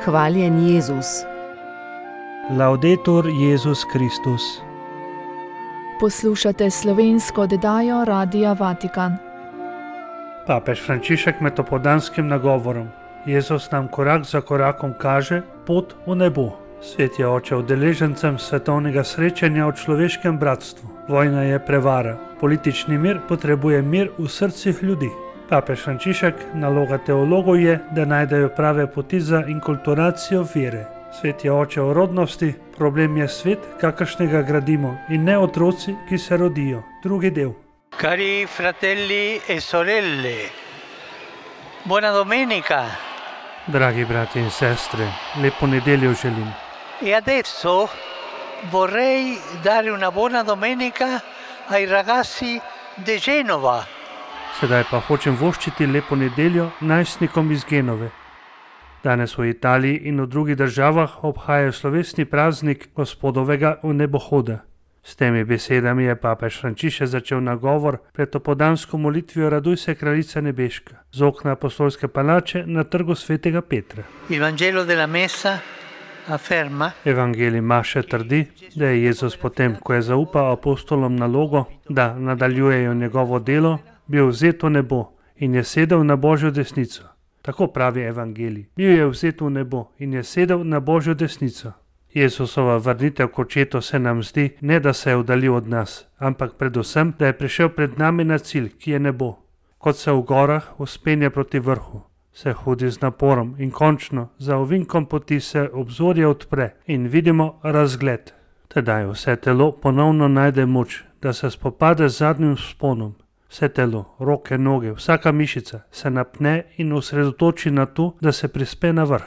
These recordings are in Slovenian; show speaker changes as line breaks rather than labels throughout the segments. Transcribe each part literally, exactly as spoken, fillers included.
Hvaljen Jezus.
Laudetur Jezus Kristus.
Poslušate slovensko oddajo Radia Vatikan.
Papež Frančišek med opoldanskim nagovorom. Jezus nam korak za korakom kaže pot v nebo. Svet je oče udeležencem svetovnega srečanja o človeškem bratstvu. Vojna je prevara. Politični mir potrebuje mir v srcih ljudi. Papež Frančišek, naloga teologov je, da najdejo prave poti za inkulturacijo vere. Svet je oče o rodnosti, problem je svet, kakršnega gradimo, in ne otroci, ki se rodijo. Drugi del.
Cari fratelli e sorelle, buona domenica.
Dragi brati in sestre, lepo nedeljo želim.
E adesso vorrei dare una buona domenica ai ragazzi di Genova.
Sedaj pa hočem voščiti lepo nedeljo najstnikom iz Genove. Danes v Italiji in v drugih državah obhajajo slovesni praznik Gospodovega vnebohoda. S temi besedami je papež Frančišek začel nagovor pred opoldansko molitvijo Raduj se kraljica nebeška z okna apostolske palače na trgu svetega Petra.
Il Vangelo della Messa afferma,
Evangelij Maše trdi, da je Jezus potem, ko je zaupal apostolom nalogo, da nadaljujejo njegovo delo, bil vzet v nebo in je sedel na Božjo desnico. Tako pravi Evangelij. Bil je vzet v nebo in je sedel na Božjo desnico. Jezusova vrnitev k očetu se nam zdi, ne da se je oddaljil od nas, ampak predvsem, da je prišel pred nami na cilj, ki je nebo. Kot se v gorah vzpenja proti vrhu, se hodi z naporom in končno za ovinkom poti se obzorje odpre in vidimo razgled. Tedaj vse telo ponovno najde moč, da se spopade z zadnjim vzponom. Vse telo, roke, noge, vsaka mišica se napne in osredotoči na to, da se prispe na vrh.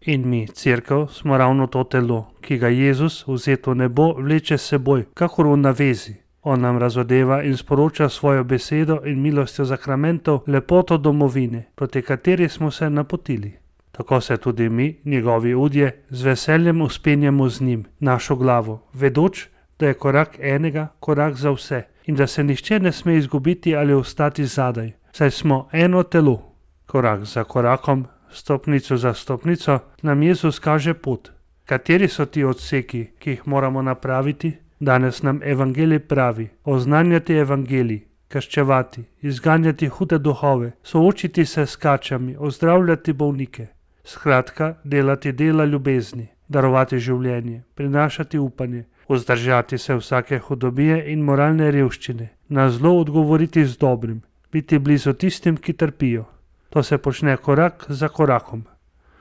In mi, cerkev, smo ravno to telo, ki ga Jezus, vzet v nebo, vleče s seboj, kakor v navezi. On nam razodeva in sporoča svojo besedo in milostjo zakramentov lepoto domovine, proti kateri smo se napotili. Tako se tudi mi, njegovi udje, z veseljem uspenjamo z njim, našo glavo, vedoč, da je korak enega, korak za vse in da se nihče ne sme izgubiti ali ostati zadaj, saj smo eno telo. Korak za korakom, stopnico za stopnico, nam Jezus kaže pot. Kateri so ti odseki, ki jih moramo napraviti? Danes nam Evangelij pravi, oznanjati Evangelij, krščevati, izganjati hude duhove, soočiti se s kačami, ozdravljati bolnike. Skratka, delati dela ljubezni, darovati življenje, prinašati upanje, vzdržati se vsake hudobije in moralne revščine, na zlo odgovoriti z dobrim, biti blizu tistim, ki trpijo. To se počne korak za korakom.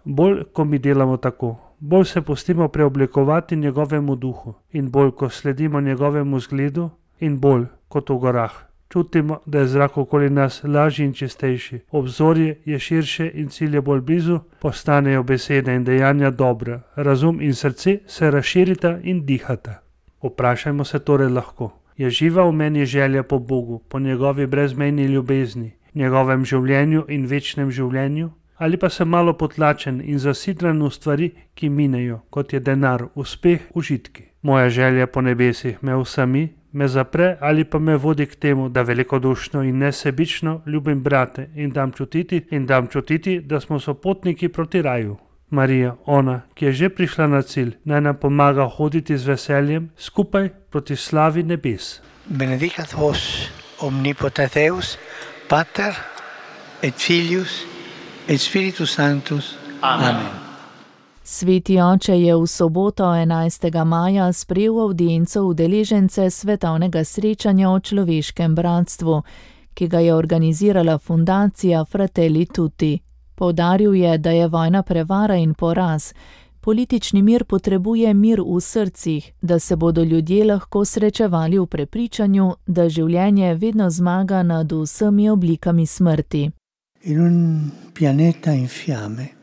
Bolj, ko mi delamo tako, bolj se pustimo preoblikovati njegovemu duhu in bolj, ko sledimo njegovemu zgledu in bolj, kot v gorah, čutimo, da je zrak okoli nas lažji in čistejši, obzorje je širše in cilj je bolj blizu, postanejo besede in dejanja dobra, razum in srce se razširita in dihata. Vprašajmo se torej lahko, je živa v meni želja po Bogu, po njegovi brezmejni ljubezni, njegovem življenju in večnem življenju, ali pa sem malo potlačen in zasidran v stvari, ki minejo, kot je denar, uspeh, užitki. Moja želja po nebesih me vsami, me zapre ali pa me vodi k temu, da velikodušno in nesebično ljubim brate in dam čutiti in dam čutiti, da smo sopotniki proti raju. Marija, ona, ki je že prišla na cilj, naj nam pomaga hoditi z veseljem skupaj proti slavi nebes.
benedicat vos omnipotens Deus, Pater et Filius et Spiritus Sanctus. Amen. Amen.
Sveti oče je v soboto enajstega maja sprejel avdienco udeležence svetovnega srečanja o človeškem bratstvu, ki ga je organizirala fundacija Fratelli Tutti. Poudaril je, da je vojna prevara in poraz. Politični mir potrebuje mir v srcih, da se bodo ljudje lahko srečevali v prepričanju, da življenje vedno zmaga nad vsemi oblikami smrti.
In un pianeta in fiamme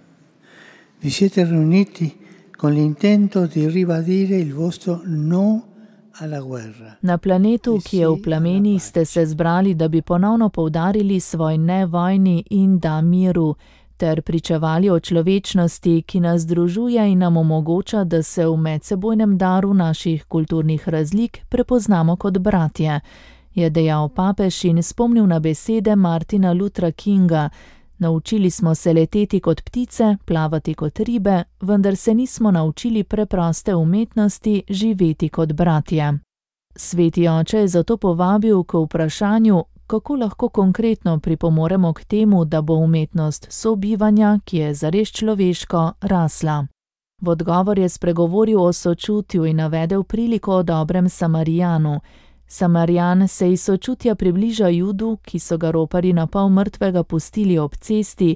vi siete riuniti con l'intento di ribadire il vostro no alla guerra.
Na planetu, ki je v plamenih, ste se zbrali, da bi ponovno poudarili svoj ne vojni in da miru, ter pričevali o človečnosti, ki nas združuje in nam omogoča, da se v medsebojnem daru naših kulturnih razlik prepoznamo kot bratje, je dejal papež in spomnil na besede Martina Luthera Kinga, Naučili smo se leteti kot ptice, plavati kot ribe, vendar se nismo naučili preproste umetnosti živeti kot bratje. Sveti oče je zato povabil k vprašanju, kako lahko konkretno pripomoremo k temu, da bo umetnost sobivanja, ki je zares človeško, rasla. V odgovor je spregovoril o sočutju in navedel priliko o dobrem Samarijanu. Samarijan se iz sočutja približa Judu, ki so ga roparji na pol mrtvega pustili ob cesti.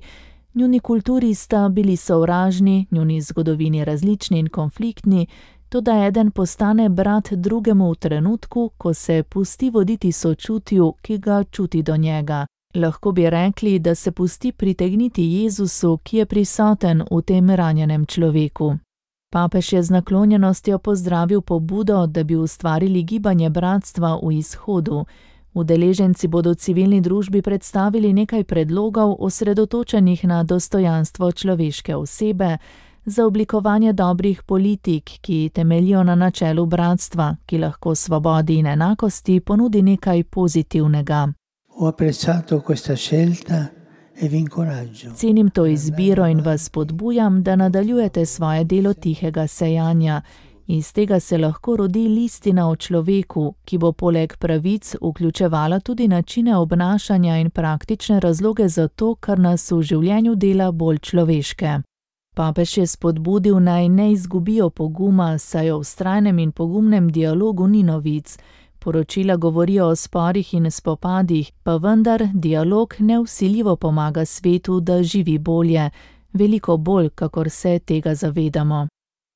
Njuni kulturi sta bili sovražni, njuni zgodovini različni in konfliktni, toda eden postane brat drugemu v trenutku, ko se pusti voditi sočutju, ki ga čuti do njega. Lahko bi rekli, da se pusti pritegniti Jezusu, ki je prisoten v tem ranjenem človeku. Papež je z naklonjenostjo pozdravil pobudo, da bi ustvarili gibanje bratstva v Izhodu. Udeleženci bodo civilni družbi predstavili nekaj predlogov osredotočenih na dostojanstvo človeške osebe, za oblikovanje dobrih politik, ki temeljijo na načelu bratstva, ki lahko svobodi in enakosti ponudi nekaj pozitivnega.
Ho apprezzato questa scelta e vi incoraggio.
Cenim to izbiro in vas spodbujam, da nadaljujete svoje delo tihega sejanja. Iz tega se lahko rodi listina o človeku, ki bo poleg pravic vključevala tudi načine obnašanja in praktične razloge za to, kar nas v življenju dela bolj človeške. Papež je spodbudil, naj ne izgubijo poguma, saj o vztrajnem in pogumnem dialogu ni novic. Poročila govorijo o sporih in spopadih, pa vendar dialog nevsiljivo pomaga svetu, da živi bolje, veliko bolj, kakor se tega zavedamo.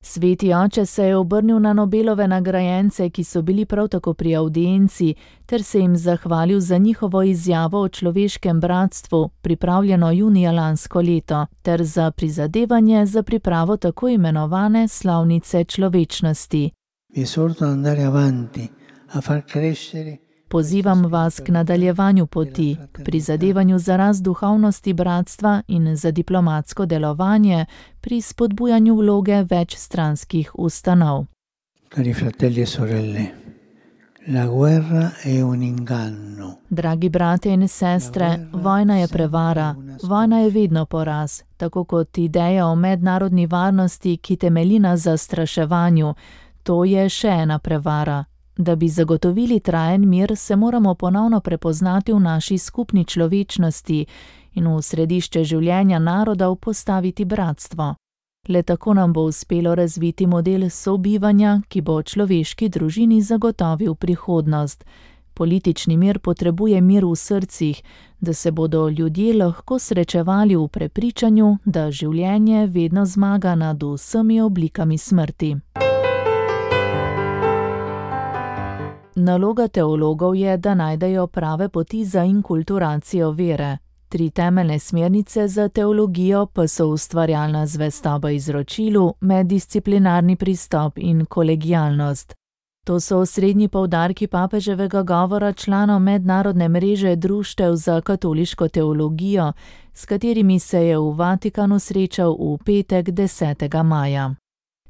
Sveti oče se je obrnil na Nobelove nagrajence, ki so bili prav tako pri avdienci, ter se jim zahvalil za njihovo izjavo o človeškem bratstvu, pripravljeno junija lansko leto, ter za prizadevanje za pripravo tako imenovane slavnice človečnosti.
Vi esorto ad andare avanti, a far crescere.
Pozivam vas k nadaljevanju poti, k prizadevanju za rast duhovnosti bratstva in za diplomatsko delovanje pri spodbujanju vloge več stranskih ustanov.
Cari fratelli e sorelle, la guerra è un inganno.
Dragi brate in sestre, vojna je prevara, vojna je vedno poraz, tako kot ideja o mednarodni varnosti, ki temelji na zastraševanju, to je še ena prevara. Da bi zagotovili trajen mir, se moramo ponovno prepoznati v naši skupni človečnosti in v središče življenja narodov postaviti bratstvo. Le tako nam bo uspelo razviti model sobivanja, ki bo človeški družini zagotovil prihodnost. Politični mir potrebuje mir v srcih, da se bodo ljudje lahko srečevali v prepričanju, da življenje vedno zmaga nad vsemi oblikami smrti. Naloga teologov je, da najdejo prave poti za inkulturacijo vere. Tri temeljne smernice za teologijo pa so ustvarjalna zvestoba izročilu, meddisciplinarni pristop in kolegialnost. To so osrednji poudarki papeževega govora članov mednarodne mreže društev za katoliško teologijo, s katerimi se je v Vatikanu srečal v petek desetega maja.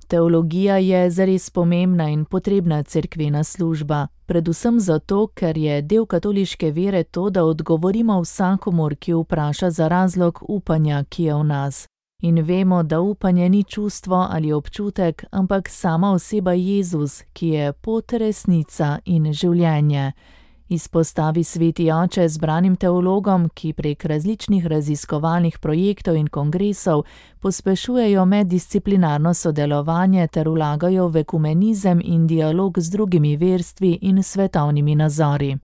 Teologija je zares pomembna in potrebna cerkvena služba, predvsem zato, ker je del katoliške vere to, da odgovorimo vsakomur, ki vpraša za razlog upanja, ki je v nas. In vemo, da upanje ni čustvo ali občutek, ampak sama oseba Jezus, ki je pot, resnica in življenje. Izpostavi sveti oče zbranim teologom, ki prek različnih raziskovalnih projektov in kongresov pospešujejo meddisciplinarno sodelovanje ter vlagajo v ekumenizem in dialog z drugimi verstvi in svetovnimi nazori.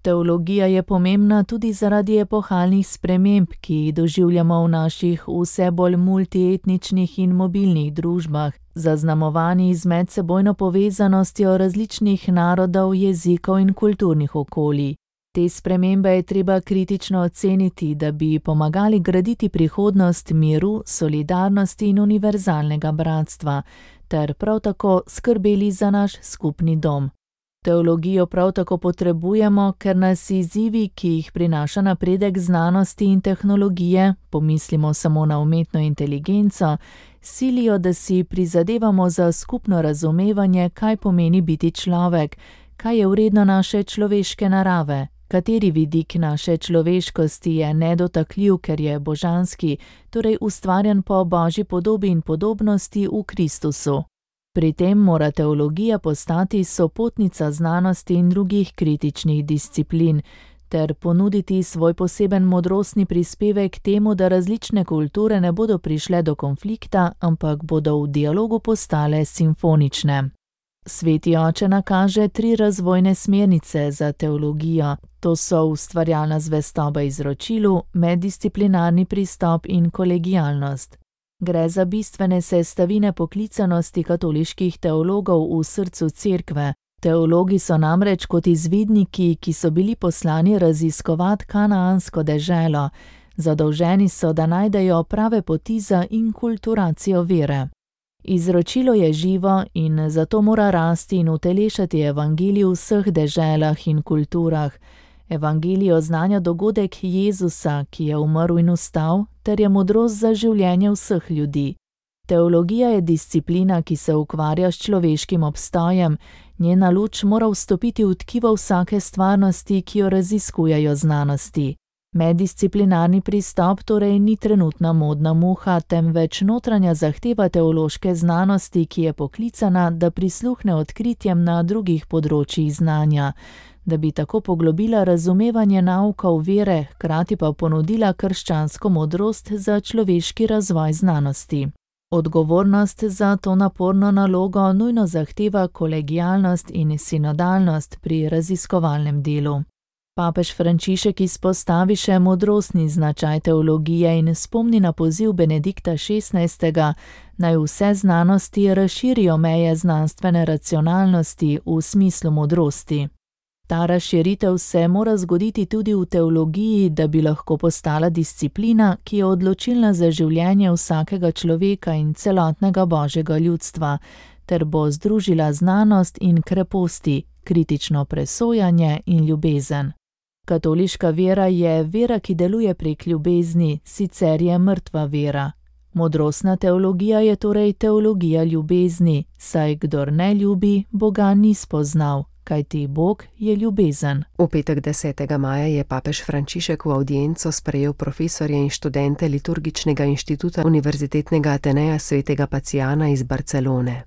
Teologija je pomembna tudi zaradi epohalnih sprememb, ki jih doživljamo v naših vse bolj multietničnih in mobilnih družbah, zaznamovani z medsebojno povezanostjo različnih narodov, jezikov in kulturnih okolij. Te spremembe je treba kritično oceniti, da bi pomagali graditi prihodnost miru, solidarnosti in univerzalnega bratstva, ter prav tako skrbeli za naš skupni dom. Teologijo prav tako potrebujemo, ker nas izzivi, ki jih prinaša napredek znanosti in tehnologije, pomislimo samo na umetno inteligenco, silijo, da si prizadevamo za skupno razumevanje, kaj pomeni biti človek, kaj je vredno naše človeške narave, Kateri vidik naše človeškosti je nedotakljiv, ker je božanski, torej ustvarjen po Božji podobi in podobnosti v Kristusu. Pri tem mora teologija postati sopotnica znanosti in drugih kritičnih disciplin, ter ponuditi svoj poseben modrostni prispevek temu, da različne kulture ne bodo prišle do konflikta, ampak bodo v dialogu postale simfonične. Sveti oče nakaže tri razvojne smernice za teologijo. To so ustvarjalna zvestoba izročilu, meddisciplinarni pristop in kolegialnost. Gre za bistvene sestavine poklicanosti katoliških teologov v srcu cerkve. Teologi so namreč kot izvidniki, ki so bili poslani raziskovati kanaansko deželo. Zadolženi so, da najdejo prave poti za inkulturacijo vere. Izročilo je živo in zato mora rasti in utelešati evangelij v vseh deželah in kulturah. Evangelij oznanja dogodek Jezusa, ki je umrl in vstal, ter je modrost za življenje vseh ljudi. Teologija je disciplina, ki se ukvarja s človeškim obstojem, njena luč mora vstopiti v tkivo vsake stvarnosti, ki jo raziskujejo znanosti. Meddisciplinarni pristop torej ni trenutna modna muha, temveč notranja zahteva teološke znanosti, ki je poklicana, da prisluhne odkritjem na drugih področjih znanja, da bi tako poglobila razumevanje naukov vere, hkrati pa ponudila krščansko modrost za človeški razvoj znanosti. Odgovornost za to naporno nalogo nujno zahteva kolegialnost in sinodalnost pri raziskovalnem delu. Papež Frančišek izpostavi še modrostni značaj teologije in spomni na poziv Benedikta šestnajstega, naj vse znanosti razširijo meje znanstvene racionalnosti v smislu modrosti. Ta razširitev se mora zgoditi tudi v teologiji, da bi lahko postala disciplina, ki je odločilna za življenje vsakega človeka in celotnega božjega ljudstva, ter bo združila znanost in kreposti, kritično presojanje in ljubezen. Katoliška vera je vera, ki deluje prek ljubezni, sicer je mrtva vera. Modrostna teologija je torej teologija ljubezni, saj kdor ne ljubi, Boga ni spoznal, kajti Bog je ljubezen.
V petek desetega maja je papež Frančišek v avdienco sprejel profesorje in študente Liturgičnega inštituta Univerzitetnega Ateneja svetega Pacijana iz Barcelone.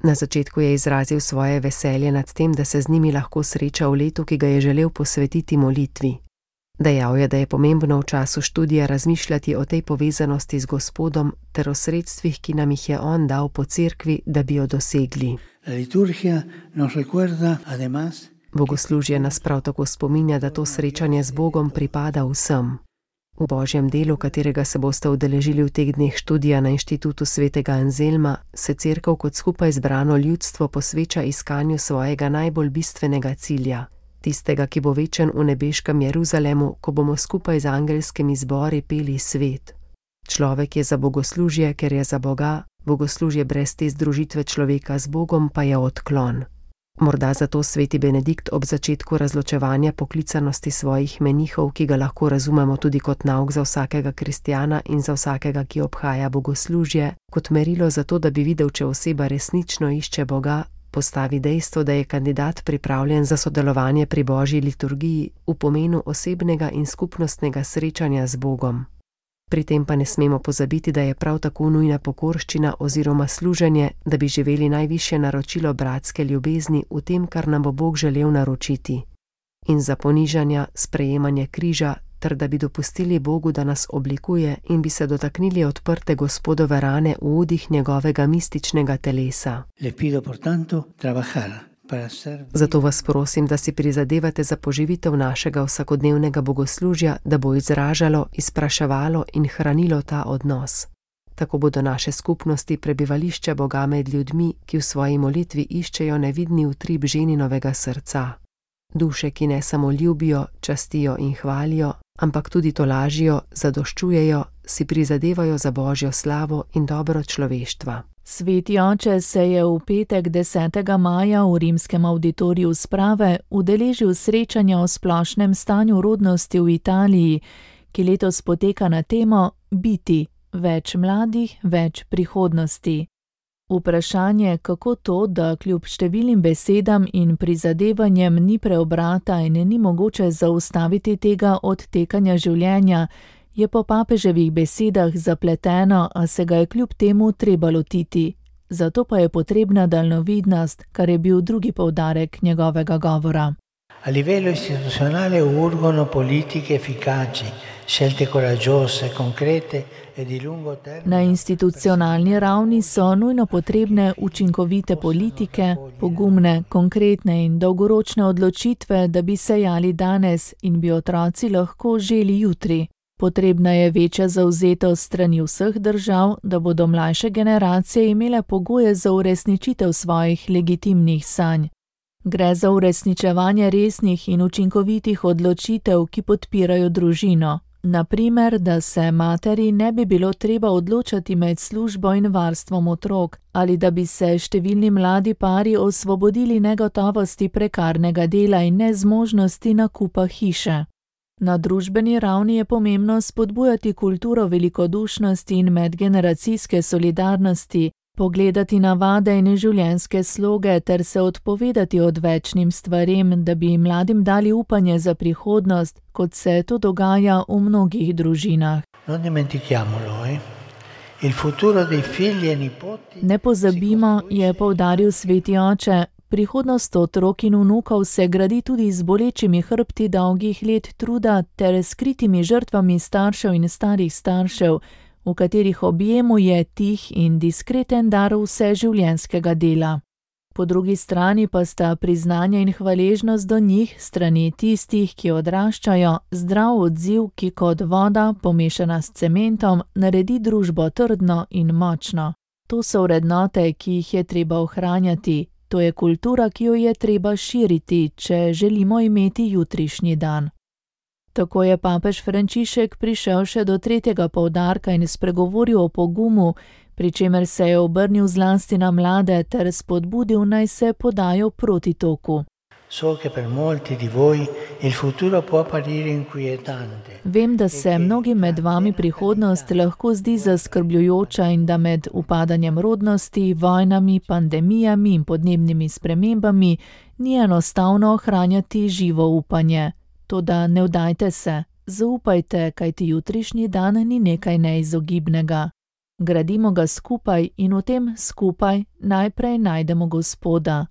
Na začetku je izrazil svoje veselje nad tem, da se z njimi lahko sreča v letu, ki ga je želel posvetiti molitvi. Dejal je, da je pomembno v času študija razmišljati o tej povezanosti z Gospodom ter o sredstvih, ki nam jih je On dal po cerkvi, da bi jo dosegli. Bogoslužje nas prav tako spominja, da to srečanje z Bogom pripada vsem. V Božjem delu, katerega se boste udeležili v teh dneh študija na Inštitutu svetega Anzelma, se cerkev kot skupaj zbrano ljudstvo posveča iskanju svojega najbolj bistvenega cilja, tistega, ki bo večen v nebeškem Jeruzalemu, ko bomo skupaj z angelskimi zbori peli svet. Človek je za bogoslužje, ker je za Boga, bogoslužje brez te združitve človeka z Bogom pa je odklon. Morda zato sveti Benedikt ob začetku razločevanja poklicanosti svojih menihov, ki ga lahko razumemo tudi kot nauk za vsakega kristjana in za vsakega, ki obhaja bogoslužje, kot merilo za to, da bi videl, če oseba resnično išče Boga, postavi dejstvo, da je kandidat pripravljen za sodelovanje pri Božji liturgiji v pomenu osebnega in skupnostnega srečanja z Bogom. Pri tem pa ne smemo pozabiti, da je prav tako nujna pokorščina oziroma služenje, da bi živeli najvišje naročilo bratske ljubezni v tem, kar nam bo Bog želel naročiti. In za ponižanja, sprejemanje križa, ter da bi dopustili Bogu, da nas oblikuje in bi se dotaknili odprte Gospodove rane v udih njegovega mističnega telesa. Zato vas prosim, da si prizadevate za poživitev našega vsakodnevnega bogoslužja, da bo izražalo, izpraševalo in hranilo ta odnos. Tako bodo naše skupnosti prebivališče Boga med ljudmi, ki v svoji molitvi iščejo nevidni utrip ženinovega srca. Duše, ki ne samo ljubijo, častijo in hvalijo, ampak tudi tolažijo, zadoščujejo, si prizadevajo za Božjo slavo in dobro človeštva.
Sveti oče se je v petek desetega maja v rimskem auditoriju sprave udeležil srečanja o splošnem stanju rodnosti v Italiji, ki letos poteka na temo Biti, več mladih, več prihodnosti. Vprašanje, kako to, da kljub številnim besedam in prizadevanjem ni preobrata in ni mogoče zaustaviti tega odtekanja življenja, je po papeževih besedah zapleteno, a se ga je kljub temu treba lotiti. Zato pa je potrebna daljnovidnost, kar je bil drugi poudarek njegovega govora.
A livello istituzionale urgono politiche efficaci, scelte coraggiose, concrete e di lungo termine.
Na institucionalni ravni so nujno potrebne učinkovite politike, pogumne, konkretne in dolgoročne odločitve, da bi sejali danes in bi otroci lahko želi jutri. Potrebna je večja zavzetost strani vseh držav, da bodo mlajše generacije imele pogoje za uresničitev svojih legitimnih sanj. Gre za uresničevanje resnih in učinkovitih odločitev, ki podpirajo družino. Naprimer, da se materi ne bi bilo treba odločati med službo in varstvom otrok, ali da bi se številni mladi pari osvobodili negotovosti prekarnega dela in nezmožnosti nakupa hiše. Na družbeni ravni je pomembno spodbujati kulturo velikodušnosti in medgeneracijske solidarnosti, pogledati navade in življenjske sloge ter se odpovedati odvečnim stvarem, da bi mladim dali upanje za prihodnost, kot se to dogaja v mnogih družinah. Ne pozabimo, je poudaril sveti oče, prihodnost otrok in vnukov se gradi tudi z bolečimi hrbti dolgih let truda ter skritimi žrtvami staršev in starih staršev, v katerih objemu je tih in diskreten dar vseživljenjskega dela. Po drugi strani pa sta priznanje in hvaležnost do njih, strani tistih, ki odraščajo, zdrav odziv, ki kot voda, pomešana s cementom, naredi družbo trdno in močno. To so vrednote, ki jih je treba ohranjati. To je kultura, ki jo je treba širiti, če želimo imeti jutrišnji dan. Tako je papež Frančišek prišel še do tretjega poudarka in spregovoril o pogumu, pri čemer se je obrnil zlasti na mlade ter spodbudil, naj se podajo proti toku. Vem, da se mnogim med vami prihodnost lahko zdi zaskrbljujoča in da med upadanjem rodnosti, vojnami, pandemijami in podnebnimi spremembami ni enostavno ohranjati živo upanje. Toda ne vdajte se, zaupajte, kajti jutrišnji dan ni nekaj neizogibnega. Gradimo ga skupaj in v tem skupaj najprej najdemo Gospoda.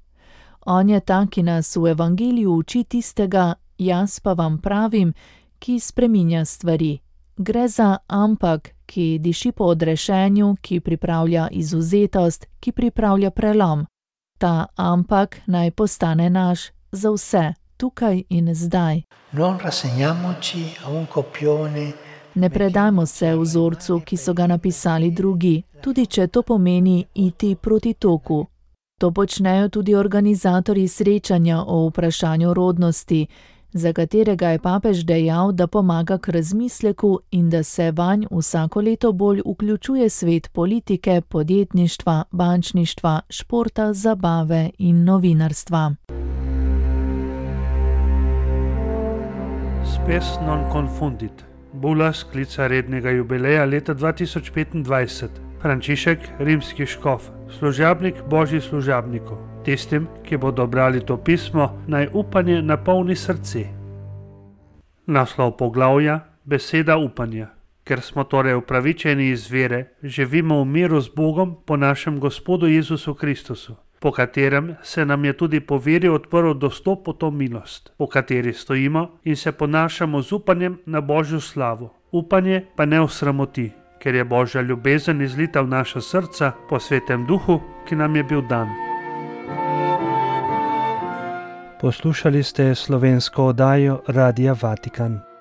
On je ta, ki nas v evangeliju uči tistega, jaz pa vam pravim, ki spreminja stvari. Gre za ampak, ki diši po odrešenju, ki pripravlja izvzetost, ki pripravlja prelom. Ta ampak naj postane naš za vse, tukaj in zdaj. Ne predajmo se vzorcu, ki so ga napisali drugi, tudi če to pomeni iti proti toku. To počnejo tudi organizatorji srečanja o vprašanju rodnosti, za katerega je papež dejal, da pomaga k razmisleku in da se vanj vsako leto bolj vključuje svet politike, podjetništva, bančništva, športa, zabave in novinarstva.
Spes non confundit. Bula sklica rednega jubileja leta dva tisoč petindvajset. Frančišek, rimski škof, služabnik božji služabnikov. Tistim, ki bodo brali to pismo, naj upanje napolni srce. Naslov poglavja: beseda upanja. Ker smo torej upravičeni iz vere, živimo v miru z Bogom po našem Gospodu Jezusu Kristusu, po katerem se nam je tudi po veri odprl dostop po to milost, po kateri stojimo in se ponašamo z upanjem na Božjo slavo. Upanje pa ne osramoti, ker je Božja ljubezen izlita v naša srca po Svetem Duhu, ki nam je bil dan.
Poslušali ste slovensko oddajo Radia Vatikan.